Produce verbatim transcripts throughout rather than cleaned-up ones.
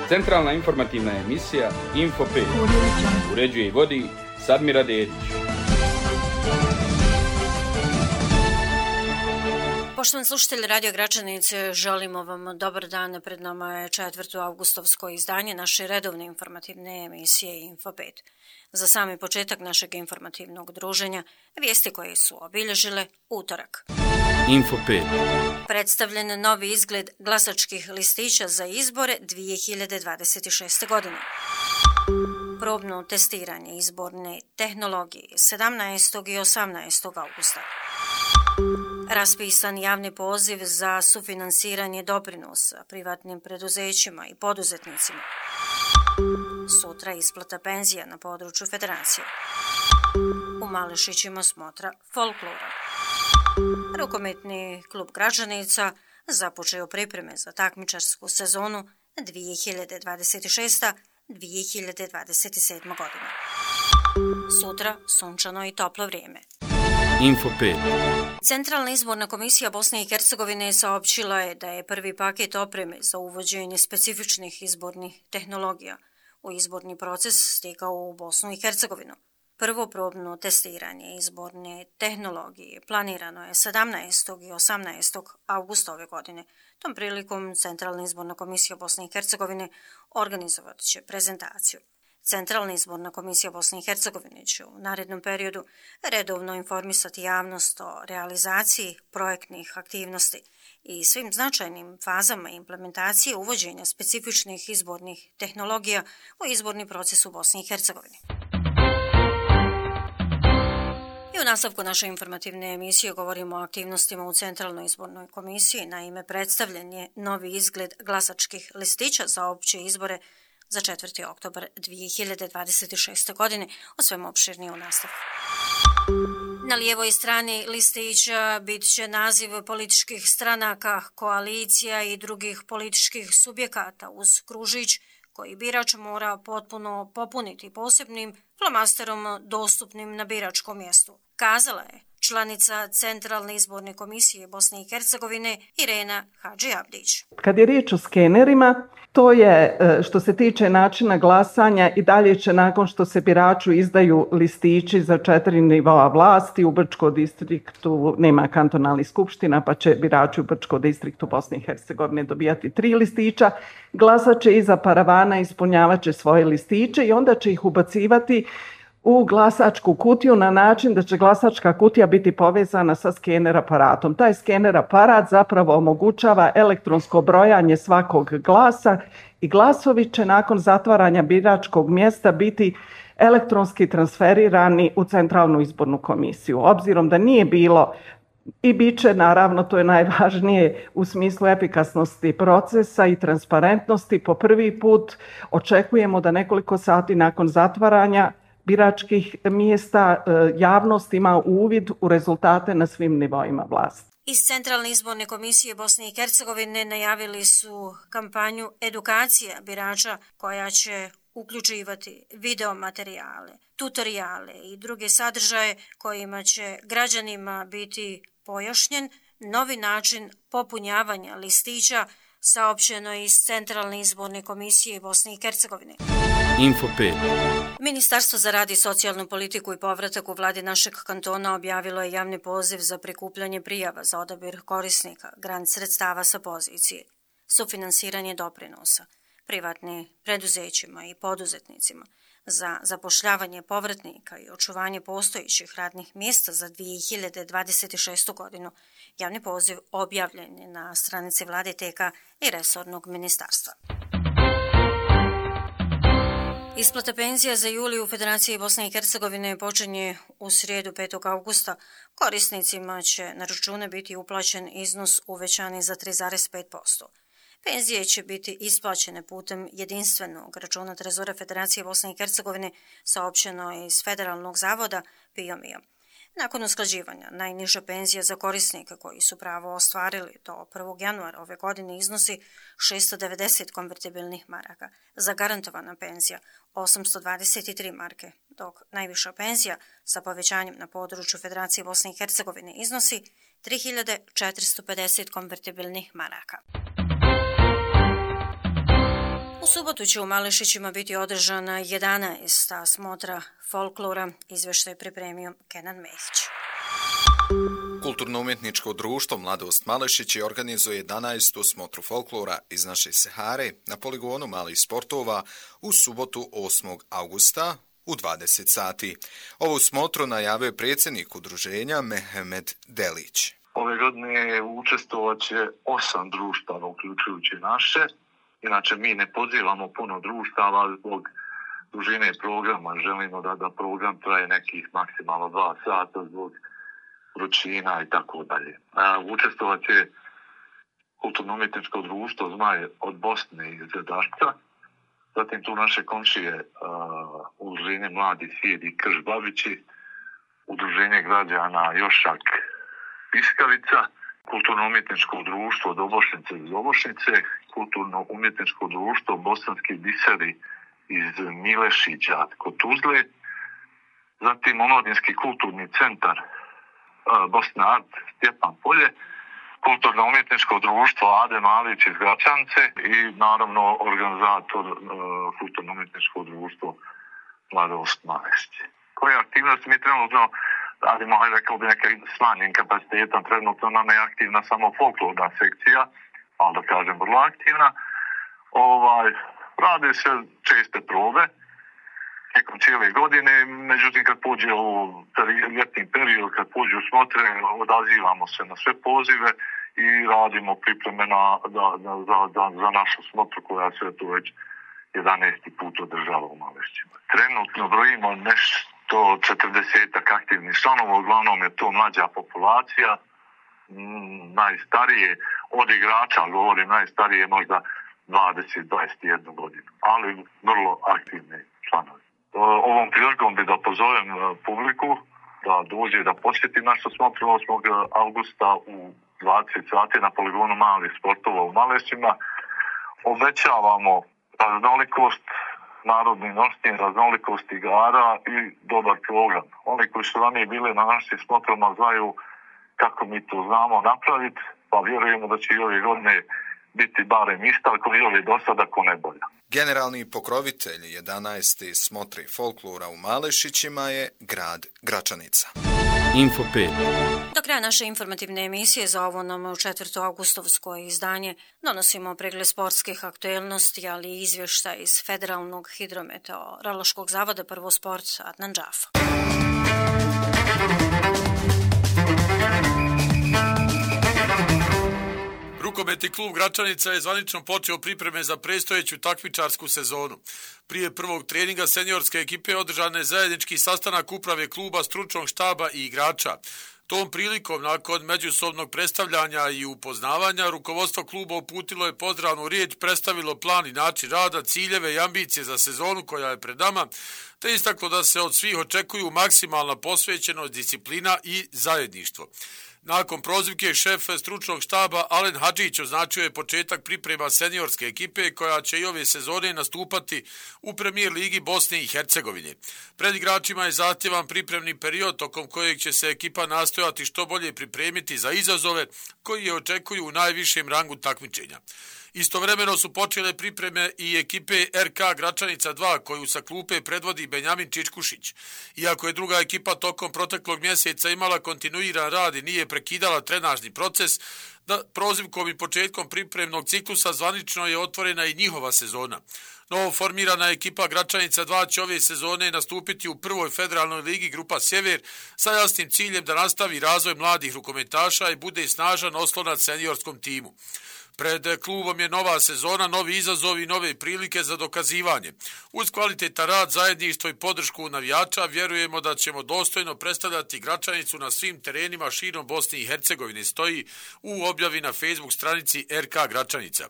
Centralna informativna emisija Info pet. Uređuje i vodi Sadmira Dedić. Poštovani slušatelji Radio Gračanice, želimo vam dobar dan. Pred nama je četvrto avgustovsko izdanje naše redovne informativne emisije Info pet. Za sami početak našeg informativnog druženja, vijesti koje su obilježile utorak. Info pet. Predstavljen novi izgled glasačkih listića za izbore dvije hiljade dvadeset šeste. godine. Probno testiranje izborne tehnologije sedamnaestog i osamnaestog augusta. Raspisan javni poziv za sufinansiranje doprinosa privatnim preduzećima i poduzetnicima. Sutra isplata penzija na području federacije. U Malešićima smotra folklora. Rukometni klub Gračanica započeo pripreme za takmičarsku sezonu dvije hiljade dvadeset šeste. dvije hiljade dvadeset sedme. godine. Sutra sunčano i toplo vrijeme. Info pet. Centralna izborna komisija Bosne i Hercegovine saopćila je da je prvi paket opreme za uvođenje specifičnih izbornih tehnologija u izborni proces stigao u Bosnu i Hercegovinu. Prvo probno testiranje izborne tehnologije planirano je sedamnaestog i osamnaestog augusta ove godine. Tom prilikom Centralna izborna komisija Bosne i Hercegovine organizovat će prezentaciju. Centralna izborna komisija Bosne i Hercegovine će u narednom periodu redovno informisati javnost o realizaciji projektnih aktivnosti i svim značajnim fazama implementacije uvođenja specifičnih izbornih tehnologija u izborni proces u Bosni i Hercegovini. I u nastavku naše informativne emisije govorimo o aktivnostima u Centralnoj izbornoj komisiji. Naime, predstavljen je novi izgled glasačkih listića za opće izbore za četvrti oktobar dvije hiljade dvadeset šeste. godine, o svemu opširnije u nastavku. Na lijevoj strani listića bit će naziv političkih stranaka, koalicija i drugih političkih subjekata uz kružić koji birač mora potpuno popuniti posebnim flomasterom dostupnim na biračkom mjestu, kazala je članica Centralne izborne komisije Bosne i Hercegovine Irena Hadžiabdić. Kad je riječ o skenerima, to je što se tiče načina glasanja i dalje će nakon što se biraču izdaju listići za četiri nivoa vlasti, u Brčkom distriktu nema kantonalnih skupština pa će birači u Brčkom distriktu Bosne i Hercegovine dobijati tri listića, glasat će iza paravana, ispunjavat će svoje listiće i onda će ih ubacivati u glasačku kutiju na način da će glasačka kutija biti povezana sa skener aparatom. Taj skener aparat zapravo omogućava elektronsko brojanje svakog glasa i glasovi će nakon zatvaranja biračkog mjesta biti elektronski transferirani u Centralnu izbornu komisiju. Obzirom da nije bilo i bit će, naravno, to je najvažnije u smislu efikasnosti procesa i transparentnosti, po prvi put očekujemo da nekoliko sati nakon zatvaranja biračkih mjesta javnost ima uvid u rezultate na svim nivoima vlasti. Iz Centralne izborne komisije Bosne i Hercegovine najavili su kampanju edukacija birača koja će uključivati video materijale, tutoriale i druge sadržaje kojima će građanima biti pojašnjen novi način popunjavanja listića, saopćeno iz Centralne izborne komisije Bosne i Hercegovine. Info pet. Ministarstvo za rad i socijalnu politiku i povratak u vladi našeg kantona objavilo je javni poziv za prikupljanje prijava za odabir korisnika grant sredstava sa pozicije sufinansiranje doprinosa privatnim preduzećima i poduzetnicima za zapošljavanje povratnika i očuvanje postojećih radnih mjesta za dvije hiljade dvadeset šestu. godinu. Javni poziv objavljen je na stranici vlade T K i resornog ministarstva. Isplata penzija za juli u Federaciji Bosne i Hercegovine počinje u srijedu petog augusta. Korisnicima će na račune biti uplaćen iznos uvećani za tri zarez pet posto. Penzije će biti isplaćene putem jedinstvenog računa Trezora Federacije Bosne i Hercegovine, saopćeno je iz Federalnog zavoda P I O M I A. Nakon usklađivanja, najniža penzija za korisnike koji su pravo ostvarili do prvog januara ove godine iznosi šesto devedeset konvertibilnih maraka, zagarantovana penzija osamsto dvadeset tri marke, dok najviša penzija sa povećanjem na području Federacije Bosne i Hercegovine iznosi tri hiljade četiristo pedeset konvertibilnih maraka. U subotu će u Malešićima biti održana jedanaesta smotra folklora, izveštaj pripremio Kenan Mehić. Kulturno-umjetničko društvo Mladost Malešići organizuje jedanaestu smotru folklora iz naše Sahare na poligonu malih sportova u subotu osmog augusta u dvadeset sati. Ovu smotru najavio je predsjednik udruženja Mehmed Delić. Ove godine učestvovat će osam društava, uključujući naše. Inače, mi ne pozivamo puno društava zbog dužine programa. Želimo da, da program traje nekih maksimalno dva sata zbog vrućina i tako dalje. Učestvovat će Kulturno-umjetničko društvo Zmaj od Bosne iz Dašca. Zatim tu naše komšije uh, udruženje Mladi Sijed i Krš Babići, udruženje građana Jošak Piskavica, Kulturno-umjetničko društvo Dobošnice iz Dobošnice, Kulturno-umjetničko društvo Bosanski biseri iz Milešića kod Tuzle, zatim Omladinski kulturni centar uh, Bosna Art Stjepan Polje, Kulturno-umjetničko društvo Ade Malić iz Gračance i naravno organizator uh, Kulturno-umjetničko društvo Mladost Malešići. Koje aktivnosti mi trenutno radimo, hajde rekao bi neke smanjen kapacitetom, trenutno nam je aktivna samo folklorna sekcija, ali da kažem vrlo aktivna. Ovaj, rade se česte probe tijekom cijele godine, međutim kad pođe u ljetni period, kad pođe u smotre, odazivamo se na sve pozive i radimo pripreme na, da, da, za, za, za našu smotru koja se tu već jedanaesti put održava u Malešićima. Trenutno brojimo nešto četrdesetak aktivnih članova, uglavnom je to mlađa populacija, mm, najstarije od igrača, govorim najstarije možda dvadeset do dvadeset jedna godinu, ali vrlo aktivni članovi. Ovom prilikom bi da pozovem publiku da dođe da posjeti našu smotru osmog augusta u dvadeset sati na poligonu malih sportova u Malešićima. Obećavamo raznolikost narodnih nošnji, raznolikost igara i dobar program. Oni koji su ranije bili na našim smotrama znaju kako mi to znamo napraviti, pa vjerujemo da će i ove godine biti barem ista, ako i ove do sada, ako ne bolja. Generalni pokrovitelj jedanaeste smotre folklora u Malešićima je grad Gračanica. Info pet. Do kraja naše informativne emisije za ovo nam četvrto augustovsko izdanje donosimo pregled sportskih aktuelnosti, ali i izvještaj iz Federalnog hidrometeorološkog zavoda Prvo sport Adnan Džafa. Rukometni klub Gračanica je zvanično počeo pripreme za predstojeću takmičarsku sezonu. Prije prvog treninga seniorske ekipe održan je zajednički sastanak uprave kluba, stručnog štaba i igrača. Tom prilikom, nakon međusobnog predstavljanja i upoznavanja, rukovodstvo kluba uputilo je pozdravnu riječ, predstavilo plan i način rada, ciljeve i ambicije za sezonu koja je pred nama, te istaklo da se od svih očekuju maksimalna posvećenost, disciplina i zajedništvo. Nakon prozivke šef stručnog štaba Alen Hadžić označio je početak priprema seniorske ekipe koja će i ove sezone nastupati u premijer ligi Bosne i Hercegovine. Pred igračima je zahtjevan pripremni period tokom kojeg će se ekipa nastojati što bolje pripremiti za izazove koji je očekuju u najvišem rangu takmičenja. Istovremeno su počele pripreme i ekipe R K Gračanica dva koju sa klupe predvodi Benjamin Čičkušić. Iako je druga ekipa tokom proteklog mjeseca imala kontinuiran rad i nije prekidala trenažni proces, da prozivkom i početkom pripremnog ciklusa zvanično je otvorena i njihova sezona. Novo formirana ekipa Gračanica dva će ove sezone nastupiti u prvoj federalnoj ligi Grupa Sjever sa jasnim ciljem da nastavi razvoj mladih rukometaša i bude snažan oslonac seniorskom timu. Pred klubom je nova sezona, novi izazovi i nove prilike za dokazivanje. Uz kvalitetan rad, zajedništvo i podršku navijača vjerujemo da ćemo dostojno predstavljati Gračanicu na svim terenima širom Bosne i Hercegovine, stoji u objavi na Facebook stranici R K Gračanica.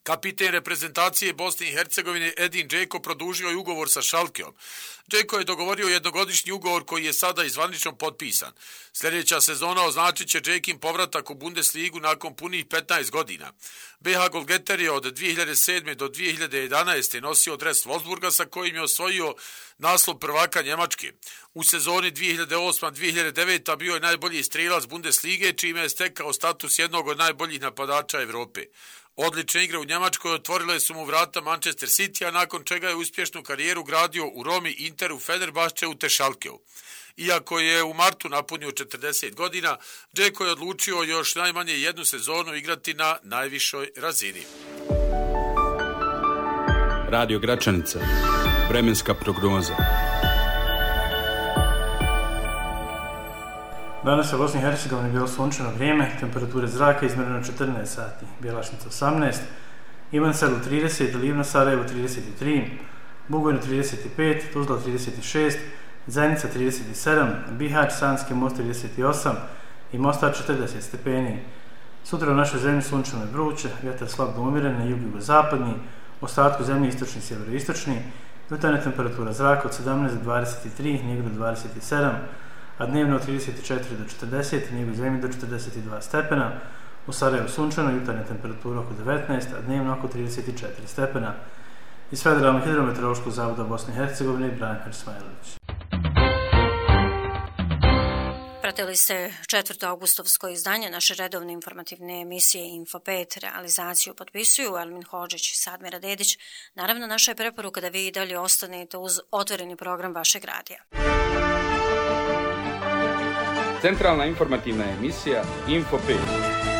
Kapiten reprezentacije Bosne i Hercegovine Edin Džeko produžio je ugovor sa Šalkeom. Džeko je dogovorio jednogodišnji ugovor koji je sada i zvanično potpisan. Sljedeća sezona označit će Džekin povratak u Bundesligu nakon punih petnaest godina. B H Golgeter je od dvije hiljade sedme do dvije hiljade jedanaeste nosio dres Wolfsburga sa kojim je osvojio naslov prvaka Njemačke. U sezoni dvije hiljade osme dvije hiljade devete bio je najbolji strelac Bundeslige, čime je stekao status jednog od najboljih napadača Evrope. Odlične igre u Njemačkoj otvorile su mu vrata Manchester City, a nakon čega je uspješnu karijeru gradio u Romi, Interu, Fenerbahčeu te Schalkeu. Iako je u martu napunio četrdeset godina, Džeko je odlučio još najmanje jednu sezonu igrati na najvišoj razini. Radio Gračanica. Vremenska prognoza. Danas u Bosni i Hercegovini bilo sunčano vrijeme, temperature zraka izmjereno četrnaest sati, Bjelašnica osamnaest, Ivanselu trideset, Livno Sarajevo trideset tri, Bugojno trideset pet, Tuzla trideset šest, Zenica trideset sedam, Bihać, Sanski most trideset osam i Mostar četrdeset stepeni. Sutra u našoj zemlji sunčano i vruće, vjetar slab do umjeren na jugo-zapadni, u ostatku zemlje istočni i sjeveroistočni, jutarnja temperatura zraka od sedamnaest do dvadeset tri, Nigra do dvadeset sedam, a dnevno od trideset četiri do četrdeset, Nigo zemlji do četrdeset dva stepena, u Sarajevu sunčano, jutarnja temperatura oko devetnaest, a dnevno oko trideset četiri stepena. Iz Federalnog hidrometeorološkog zavoda Bosne i Hercegovine, Branimir Smajlović. Pratili ste četvrto augustovsko izdanje naše redovne informativne emisije Info pet. Realizaciju potpisuju Elmin Hodžić i Sadmira Dedić. Naravno, naša je preporuka da vi i dalje ostanete uz otvoreni program vašeg radija. Centralna informativna emisija Info pet.